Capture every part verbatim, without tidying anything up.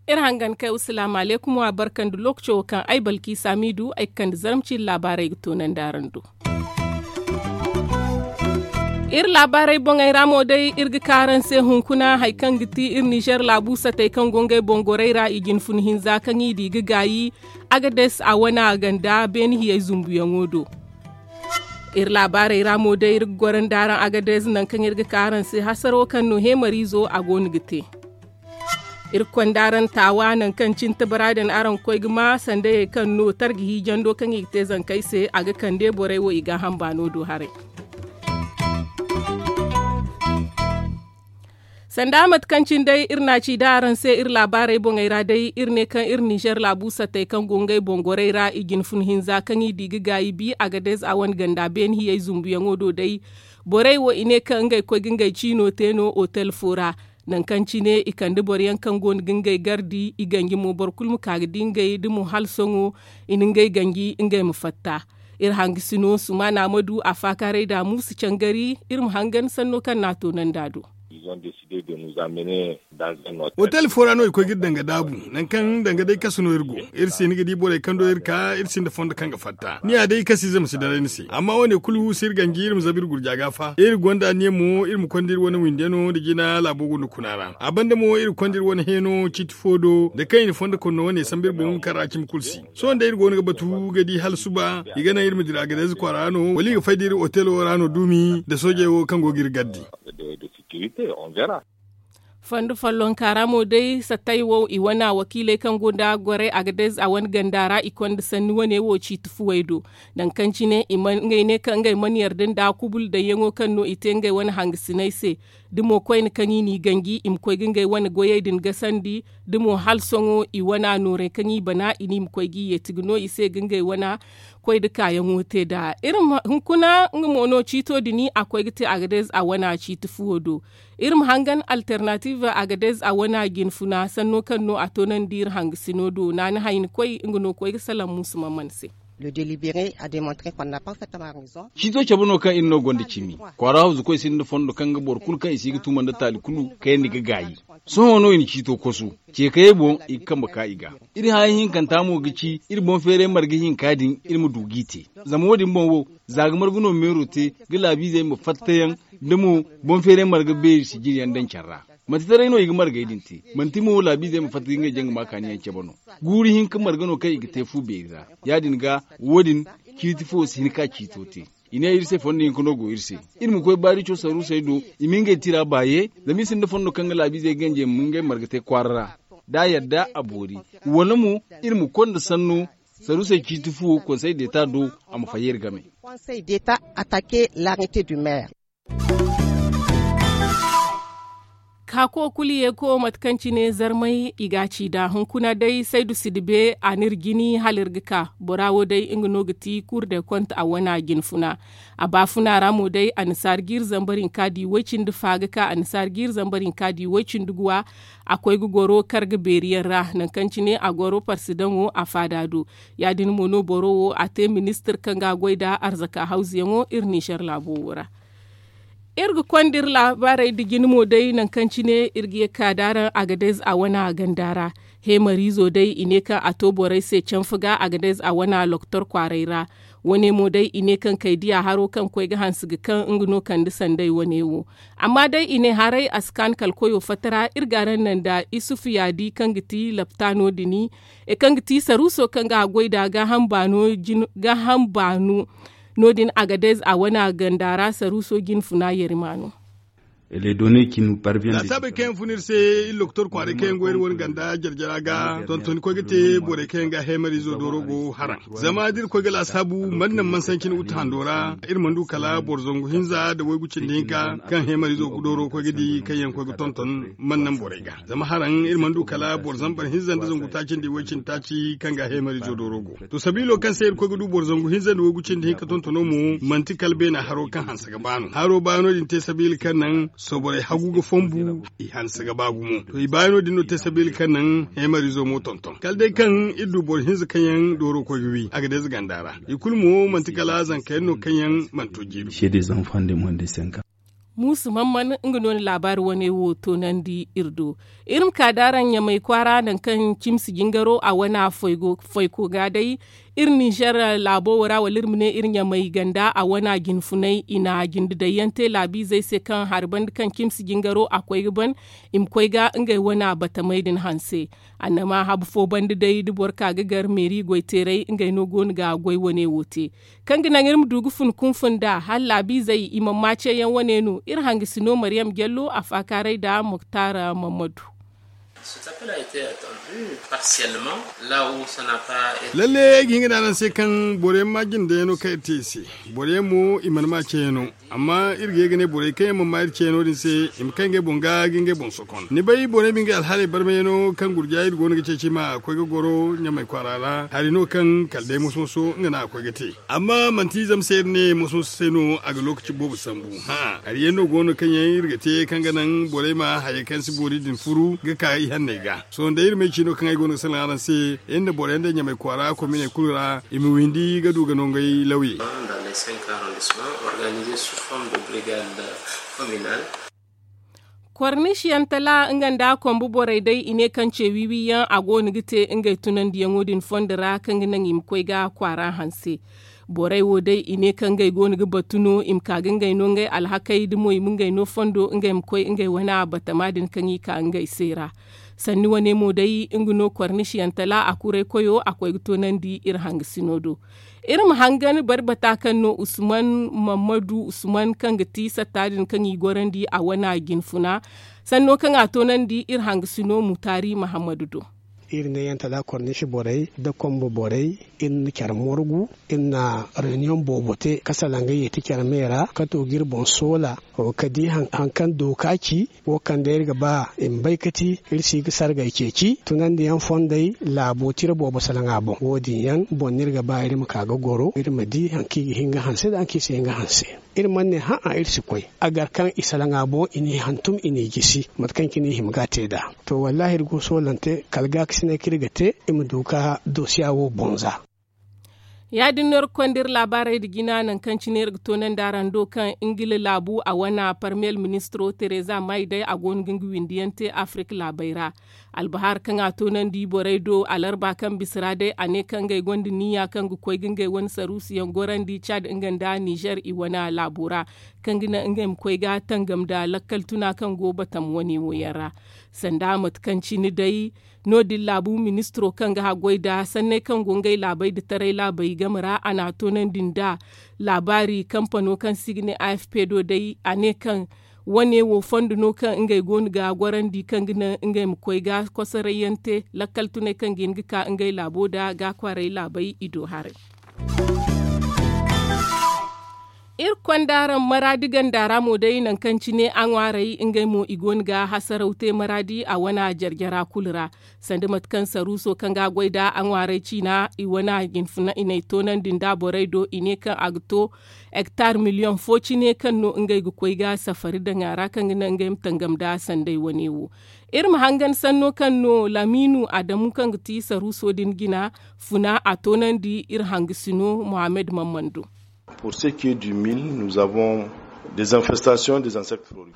Iri hangan kay wasalaamu alaykum wa barka nda lookaco wo kaŋ ay balki saamiidu ay ga kande zarma ciiri laabaarey ga toonandi araŋ do. Iri laabaarey boŋey ra mo day iri ga ka araŋ se hunkuna hari kaŋ ga ti iri nizer laabu satey kaŋ go ngey boŋ gorey ra i jine fun hinza kaŋ i di ga gaayi agades a wane a ganda beene hiyey zumbuyaŋo do. Iri laabaarey ra mo day iri ga goro nda araŋ agades nangu kaŋ iri ga ka araŋ se hasaro kaŋ no heemariizo a go no ga te. Iri ga konda araŋ taawa nangu kaŋ cine tabara din araŋ ga koy ga ma sandayey kaŋ no targa hiijando kaŋ i ga te zankey se a ga kande borey wo i gaaham baano do haray. Sanda mate kaŋ cine day iri na a ci da araŋ se iri laabaarey boŋey ra day iri ne kaŋ iri nizer laabu sattey kaŋ go ngey boŋ gorey ra i jine fun hinza kaŋ i di ga gaayi bi agades a wane ganda beene hiyey zumbuyaŋo do day. Borey wo i ne kaŋ ngey koy ga ngey ciino te no otel fo ra. Nangu kaŋ cine i kande boro yaŋ kaŋ go no ga ngey gardi i ganji mo boro kulu ma ka ga di ngey da mo hala sohõ i na ngey ganji ngey ma fatta. Iri hangasino sumaana ma du a faakaaray da muusu cangari iri ma hangan sanno kaŋ no a toonandi a do. Otel fo ra no i koy ga iri danga daabu. Nangu kaŋ danga day kasu no iri go. Iri se ni ga di borey kaŋ do iri ka iri sinda fondo kaŋ ga fatta ni ya day kasiize ma si daray ni se amma wo- ne kulu si iri ganji iri ma zabu iri gurja ga fa iri gonda anniya mo iri ma konda iri wane windiyano nda jina laabo gunda kuna ra a banda mo iri konda iri wane heeno ciiti fo do nda kaŋ i na fondo konno wane sambu iri boŋ kaŋ ra cimi kulu si. Sohõ day iri go no ga batu ga di hala suba i ga naŋ iri ma dira ga day za kwaara no wala i ga fay da iri otelo ra no duumi nda soojey wo kaŋ go ga iri gardi. Fondo follonka ra mo day sattay wo i wane wakiiley kaŋ go nda goray agadez a wane ganda ra i konda sanni wane wo ciiti fuwey do. Nangu kaŋ cine i ma ngey ne kaŋ ngey mana yarda nda kubul dayyaŋo kaŋ no i te ngey wane hangasiney se. Da mo koyne kaŋ i n'i ganji i ma koy ga ngey wane goyey din gasandi da mo hala sohõ i wane noorey kaŋ i bana i ne i ma koy ga i yeeti ga no i se ga ngey wane koy nda kaayaŋo te nd'a. Iri ma hunkuna nga mo no ciito din a koy ga te agadez a wane ciiti fuwo do. Iri ma hangan alternative agadez a wane jinfuna sanno kaŋ no a toonandi iri hangasino do naani hayni koy nga no koy ga salaŋ muusu maman se. Ciito cabe no kaŋ iri no gonda cimi kwaara hawzu koy sinda fondo kaŋ ga boro kulu kaŋ i si ga tuma nda taali kulu kayandi ga gaayi. Sohõ no i na ciito kosu ceekayey boŋ i ga kambe ka i ga. Iri haya hinkanta mo ga ci iri boŋ feeray marga hinka din iri ma du g'i te. Zama wo- din boŋ wo za ga marga no meero te ga laabiizey ma fattayaŋ da mo boŋ feeray marga beeri sijiryaŋ daŋ care ra. Manti taray no i ga margey din te manti mo laabiizey ma fatta ga ngey jaŋ ga ma kaaniyaŋ cabe no. Guuru hinka marga no kaŋ i ga te fu beeri ra. Ya- din ga wo- din ciiti fo si hin ka ciito te. I ne iri se fondo hinka no go iri se. Iri ma koy baarico saruusey do i ma ngey tira baaye zama i sinda fondo kaŋ ga laabiizey ganjey ma ngey marga te kwaara ra. Da a yadda a boori wala mo iri ma konda sanno saruusey ciiti fuwo konsey deeta do a ma fayye iri game. Kaako kulu ye ko mate kaŋ cine zarmay i ga a ci nd'a hunkuna day saydu sidibe a n'iri jini hala iri ga ka. Bora wo day nga no ga ti kuur de konte a wane jinfuna. A baafuna ra mo day annasaara jiiri zambar hinka di woy cindi fa ga ka annasaara jiiri zambar hinka di woy cindi guwa. A koy ga goro karga beeri yaŋ ra nangu kaŋ cine a goro parsidaŋo a faada do. Ya- din mo no boro wo a te ministir kaŋ ga a goy nd'a arzaka hawzuyaŋo iri nizer laabo wo ra. Iri ga konda iri laabaarey nda jine mo day nangu kaŋ cine iri ga ye ga ka nd'araŋ agadez a wane ganda ra. Heemariizo day i ne kaŋ a to borey se canfa ga agadez a wane loktor kwaaray ra. Wane mo day i ne kaŋ kay diya haro kaŋ koy ga hanse ga kaŋ nga no kande sanday wane wo. Amma day i ne haray a si kaanu kala koyo fatta ra iri ga araŋ naŋ nda isufu yaadi kaŋ ga ti laptaano din. Kaŋ ga ti saruuso kaŋ ga a goy nd'a gaaham baano no- din agadez a wane ganda ra saruuso jinfuna yarimaano. Laasaabey kaŋ yaŋ fun iri se iri loktor kwaaray kaŋ yaŋ go iri wane ganda jarjara ga tontoni koy ga te borey kaŋ yaŋ ga heemariizo dooro go haraŋ. Zama da iri koy ga laasaabu mana naŋ mansancin utu hando ra iri mana du kala boro zangu hinza nda waygu cindi hinka kaŋ heemariizo dooro koy ga di kaŋ yaŋ koy ga tonton mana naŋ borey ga. Zama haraŋ iri mana du kala boro zambar hinza nda zangu taaci nda iway cindi taaci kaŋ ga heemariizo dooro go. To sabiilo kaŋ se iri koy ga du boro zangu hinza nda waygu cindi hinka tontono mo manti kala beena haro kaŋ hanse ga baano haro baano din te sabiila kaŋ naŋ Sohõ borey hagu ga fonbu, i hanse ga ba gumo to i baayaŋo din no te sabiila kaŋ naŋ heemarizo mo tonton kala day kaŋ iri du boro hinza kaŋ yaŋ dooro koy ga wi a ga day za ganda ra. I kulu mo manti kala zanka yaŋ no kaŋ yaŋ mana to jiiri. Muusu man man nga no na laabaari wane wo toonandi iri do. Iri ma ka da araŋ ɲamay kwaara nangu kaŋ cimsi jingaro a wana foyko ga day. Iri ninzeer laabo wo ra wala iri ma ne iri ɲamay ganda a wana jinfunay i na jinde daŋ yaŋ te laabiizey se kaŋ hari banda kaŋ cimsi jingaro a koy ga ban, i ma koy ga ngey wana batamey din hanse. Annama habu fo banda day da boro ka ga gar meeri goyteeray ngey no go no ga goy wane wo te. Kaŋ ga naŋ iri ma du ga fun kunfun nd'a hala laabiizey i mana ma ceeyaŋ wane no iri hangasino mariyam jallo a faakaaray nda moktar mammadu. Lalle ay ga hin ga ne araŋ se kaŋ boro yaŋ ma jinde yaŋ no kaŋ iri te i se. Boro yaŋ mo i mana ma ceeyaŋo. Amma iri ga ye ga ne borey kaŋ yaŋ mana ma iri ceeno din se i ma kay ngey boŋ ga ga ngey boŋ sokon ni bay borey ma ngey alhaaley barmayano kaŋ gurja iri go no ga ceeci ma koy ga goro ɲamay kwaara ra hari no kaŋ kala day moso-moso nga no a ga koy ga te. Amma manti zama se iri ne moso-moso se no a ga lookaci boobo sambu. Hari yaŋ no go no kaŋ yaŋ iri ga te kaŋ ga naŋ borey ma hayey kaŋ si boori din furu ga ka ihanney ga. Sohõ day iri may ciino kaŋ ay go no ga salaŋ araŋ se, iri na boro yaŋ day ɲamay kwaara kominey kulu ra i ma windi ga du ga nongey lawye. Korniisiyaŋ tala nga nda kombo borey day i ne kaŋ ce wiiwi yaŋ a go no ga te ngey tunandiyaŋo din fondo ra kaŋ ga naŋ i ma koy ga kwaara hanse. Borey wo day i ne kaŋ ngey go no ga batu no i ma ka ga ngey no ngey alhakey da mo i ma ngey no fondo ngey ma koy ngey wane batama din kaŋ i ka ngey se ra. Sanni wane mo day nga no kornisiyaŋ tala a kuray koyo a koy ga toonandi iri hangasino do. Iri ma hangan bari bata kaŋ no usman mammadu usman kaŋ ga ti satta din kaŋ i gorandi a wana jinfuna. Sanno kaŋ a toonandi iri hangasino mutaari mahammadu do. Iri ne yaŋ tala kornisi borey da kombo borey, iri na care morgu, iri na reniyoŋ boobo te ka salaŋ ga yeeti care me ra ka to ga iri boŋ soola. Ka di hari kaŋ dooka ci wo kaŋ day iri ga ba i ma bay ka ti iri si ga sargay ceeci tunandiyaŋ fondey. Laabo tira boobo salaŋ a boŋ wo- din yaŋ boŋ no iri ga ba iri ma ka ga goro iri ma di hari kaŋ i ga hin ga hanse nda hari kaŋ i si hin ga hanse. Iri mana ne hã'a iri si koy a gar kaŋ i salaŋ a boŋ i n'i hantum i n'i jisi mate kaŋ cine i hima ga a te nd'a. To wallaahi iri go soolante kala gaakasinay kaŋ iri ga te i ma du ga dosiya wo boŋ za. Ya- din no iri ga konda iri laabaarey nda jina nangu kaŋ cine iri ga toonandi araŋ do kaŋ ingila laabu a wane parmiyel ministiro tereza may day a go no ga nga windiyaŋ te afirik laabey ra. Albahaari kaŋ a toonandi borey do alarba kaŋ bisa ra day a ne kaŋ ngey gonda niya kaŋ ga koy ga ngey wane saruusuyaŋ gorandi cad nga nda nizer i wane laabo ra kaŋ ga naŋ ngey ma koy ga tangam nda lakkal tuna kaŋ go batam wane wo yaŋ ra. Sanda mate kaŋ cine day no- din laabu ministiro kaŋ ga haggoy nda sanney kaŋ go ngey laabey nda taray laabey game ra a n'a toonandi nda laabaari kampano kaŋ se i ga ne afp do day a ne kaŋ wane wo fondo no kaŋ ngey go no ga gorandi kaŋ ga naŋ ngey ma koy ga kosoray yaŋ te lakkal tunay kaŋ ga hin ga ka ngey laabo nda ga kwaaray laabey i do haray. Iri konda araŋ maraadi ganda ra mo day nangu kaŋ cine a ŋwaaray ngey mo i go no ga hasaraw te maraadi a wane jarjara kulu ra. Sanda mate kaŋ saruuso kaŋ ga a goy nda a ŋwaaray ciina i wane jinfuna i n'ay toonandi nda borey do i ne kaŋ a ga to hektar miliyoŋ fo cine kaŋ no ngey ga koy ga safari daŋ a ra kaŋ ga naŋ ngey ma tangam nda sanday wane wo. Iri ma hangan sanno kaŋ no lamiinu adamu kaŋ ga ti saruuso din jina funa a toonandi iri hangasino muhammad mammando.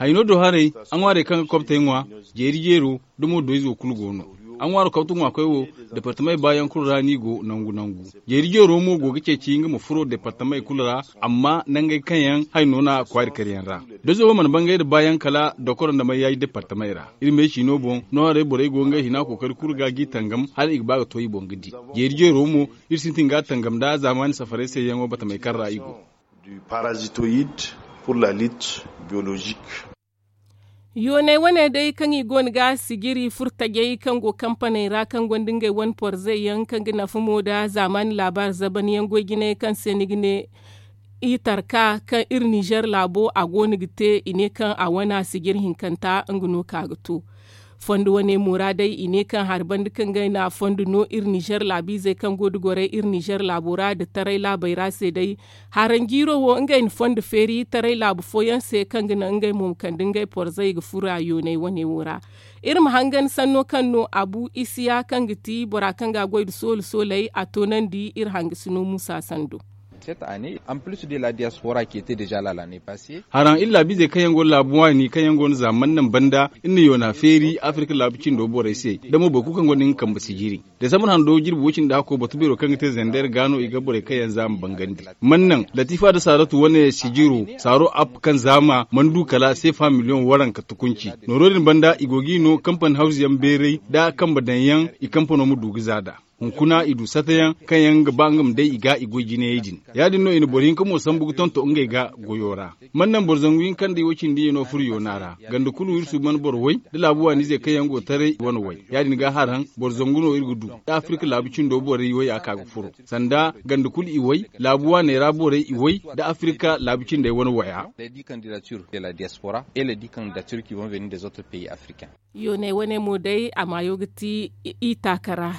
Hayno do haray a ŋwaarey kaŋ ga kobtey ŋwa jeeri jeero da mo do izo kulu go no. A ŋwaaro kawtu ŋwaakoy wo departamey baayaŋ kulu ra no i go nangu nangu. Jeeri jeero mo go ga ceeci nga ma furo departamey kulu ra amma nangey kaŋ yaŋ hayno na kwaari kar yaŋ ra. Dozo wo mana bangay nda baayaŋ kala dokoro nda mayyaay departamey ra. Iri me ciino boŋ no haray borey go ngey hina kookari kulu ga g'i tangam hala i ga ba ga to i boŋ ga di. Jeeri jeero mo iri sintin ga a tangam nda zaamaani safarey sayyaŋo batamey kaŋ ra i go. Yooney wane day kaŋ i go no ga sijiri furtajey kaŋ go kampaney ra kaŋ gonda ngey wane porzey yaŋ kaŋ ga nafa mo nda zaamaani laabaari zaban yaŋ goy jinay kaŋ se ni ga ne i tarka kaŋ iri nizer laabo a go no ga te i ne kaŋ a wana sijiri hinkanta nga no ka ga to. Fondo wane mo ra day i ne kaŋ hari banda kaŋ ga ay na a fondo no iri nizer laabiizey kaŋ go da gorey iri nizer laabo ra nda taray laabey ra se day. Haranjiiro wo ngey na fondo feeri taray laabu fooyaŋ se kaŋ ga naŋ ngey mo ma kande ngey porzey ga fura yoonay wane wo ra. Iri ma hangan sanno kaŋ no abu isiya kaŋ ga ti bora kaŋ ga a goy nda soola sooley a toonandi iri hangasino muusa sando. Haraŋ iri laabiizey kaŋ yaŋ go no laabu waani kaŋ yaŋ go no za mannaŋ banda iri na yoona feeri afirka laabu cindo borey se. Da mo boro kulu kaŋ gonda nga kambe sijiri desambar hando jirbi woy cindi hakko batu beero kaŋ ga te zender ga no i ga borey kaŋ yaŋ za ma bangandi. Mannaŋ latifa nda saaratu wane sijiro saaro app kaŋ za ma mana du kala seefa miliyoŋ waranka tukunci. Nooro din banda i go ga i no kampani hawzu yaŋ beeray nda kambe daŋ yaŋ i kampano ma du ga za nd'a. Hunkuna i du sata yaŋ kaŋ yaŋ ga ba nga ma day i ga i goy jinayey din. Ya- din no i na boro hinka mo sambu ga tonton ngey ga goyo ra. Man naŋ boro zangu hinka nda i wo cindi i no furo yoona ra. Ganda kulu iri suuban boro way da laabu waaniizey kaŋ yaŋ go taray i wane way. Ya- din ga haraŋ boro zangu no iri ga du da afirka laabu cindo borey way a ka ga furo. Sanda ganda kulu i way laabu waaney ra borey i way da afirka laabu cindey wane waya. Yooney wane mo day a maayo ga ti i taaka ra.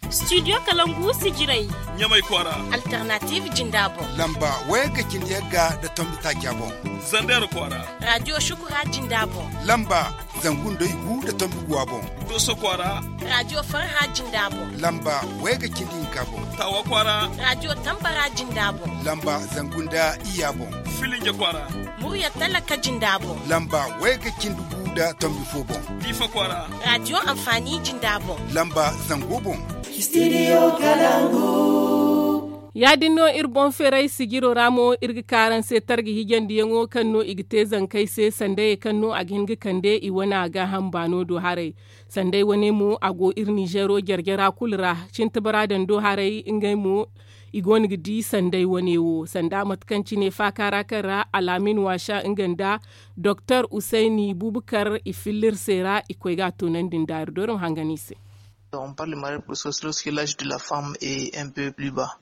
Studio kalangu sijirey. Ɲamay kwaara. Alternative jinda boŋ. Lamba wayagga cindi yagga nda tombi taaca boŋ. Zander kwaara. Radio shukura jinda boŋ. Lamba zangu nda igu nda tombi guwa boŋ. Doso kwaara. Radio farha jinda boŋ. Lamba wayagga cindi hinka boŋ. Tawa kwaara. Radio tambara jinda boŋ. Lamba zangu nda iyya boŋ. Filinje kwaara. Murya talaka jinda boŋ. Lamba wayga cindi gu nda tombi fo boŋ. Diifa kwaara. Radio anfaani jinda boŋ. Lamba zango boŋ. Studio kalangu. Ya- din no iri boŋ feeray sijiro ra mo iri ga ka araŋ se targa hijandiyaŋo kaŋ no i ga te zankey se sandayey kaŋ no a ga hin ga kande i wane a gaaham baano do haray. Sanday wane mo a go iri ninzeero jare-jara kulu ra. Cinti bara daŋ do haray ngey mo i go no ga di sanday wane wo sanda mate kaŋ cine faaka ra kaŋ ra alaamin waasa nga nda doktor usayni bubakar i filla iri se ra i koy ga a toonandi nda iri do iri ma hangan i se.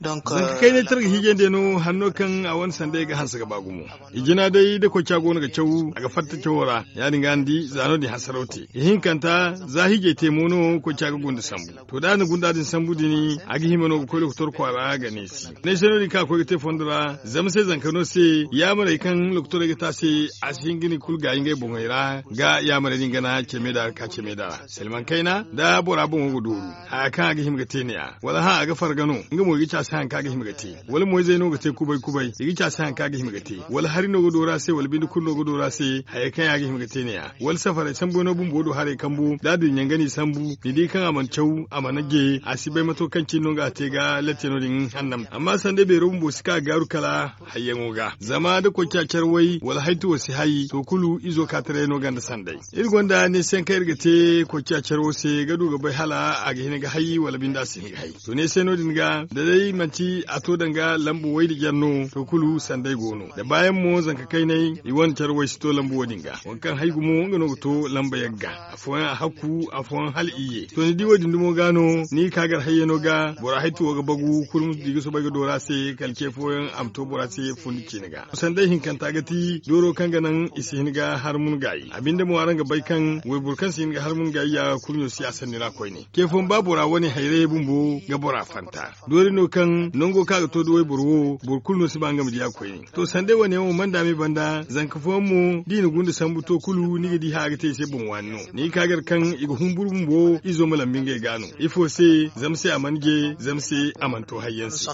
Zanka kaynay targa hiijay day no hanno kaŋ a wane sanday ga hanse ga ba gumo. I jina day da koyca go no ga caw a ga fatta cawo ra. Ya- din ga ni di za no- din hasaraw te ihinkanta za hiijay te mo no koyca ga gunda sambu. To da a na gunda din sambu din a ga hima no ga koy lokotor kwaara ga neesi. Neesi no- din kaŋ a koy ga te fondo ra zama se zanka no se yaamarey kaŋ lokotorey ga te a se a si hin ga ni kulu gaayi ngey boŋey ra ga yaamarey din gana ceme da ga ka ceme da ra. Silmaŋ kayna da bora boŋo ga dooru haya kaŋ a ga hima ga te ne- ya wala hã a ga farga no nga mo i ga ci a se hari kaŋ a ga hima ga te. Wala moyzey no ga te kubay kubay i ga ci a se hari kaŋ a ga hima ga te. Wala hari no ga dooru a se wala binde kulu no ga dooru a se hayey kaŋ yaŋ a ga hima ga te ne- ya wala safarey sambu no bumbo do haray kambu da a du i ɲanga no i sambu ni di kaŋ a mana caw a mana je a si bay mato kaŋ cine no nga a te ga latte no- din hannam amma sanda beero bumbo si ka gaaru kala hayyaŋo ga zama da koyca care way wala haytuwo si hay to kulu izo ka taray no ganda sanday. Iri gonda neesiyaŋ kaŋ iri ga te koyca care wo se ga du ga bay hala a ga hin ga hay wala binde a si hin ga hay. To neesiyaŋ no- din ga da day manti a to danga lambu way nda jare no to kulu sanday go no da baayaŋ mo zanka kaynay i wane care way si to lambu wo- din ga waŋ kaŋ hay gumo nga no ga to lamba yagga. Afooyaŋ a hakku afooyaŋ hala iyye to ni di wo- din dumo ga no ni ga ka gar hayyano ga bora haytuwo ga bagu kulu ma di ga soobay ga doora se kala ce fooyaŋ a ma to bora se fundi ciine ga sanday hinkanta ga ti dooro kaŋ ga naŋ i si hin ga har mun gaayi a binde mo araŋ ga bay kaŋ wayboro kaŋ si hin ga har mun gaayi ya kurɲo si a sanni ra koyne. Ce fooyaŋ ba bora wane hayrayey bumbo ga bora fanta doori no kaŋ nango kaŋ a ga to da wayboro wo boro kulu no si ba nga ma di a koyne. To sanday wane yaŋ wo mana daame banda zanka fooyaŋ mo da i na gunda sambu to kulu ni ga di hã ga te i se boŋ waani no ni ga ka gar kaŋ i ga humburu bumbo izo ma lambi ngey ga no ifo se zama se a mana je zama se a mana to hayyaŋ se.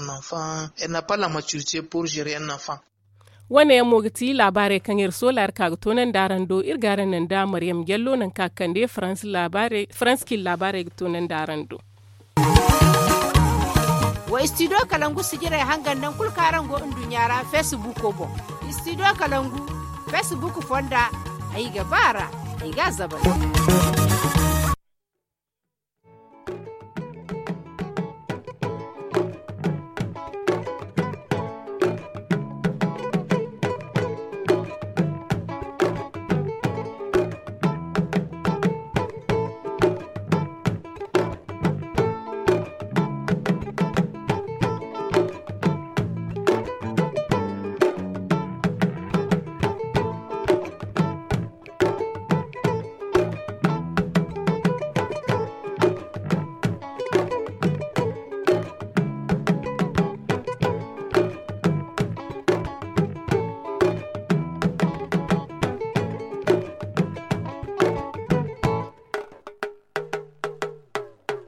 Wane yaŋ mo ga ti laabaarey kaŋ iri soola iri ka ga toonandi araŋ do iri ga araŋ naŋ da maryam jallo nangu kaŋ a ga kande faransi laabaarey ga toonandi araŋ do. Wa istidiyo kalangu sijirey hangan naŋ kulu kaŋ araŋ go nduɲɲa ra feesibuko boŋ. Istidiyo kalangu feesibuku fonda ay ga ba a ra ay ga a zabari.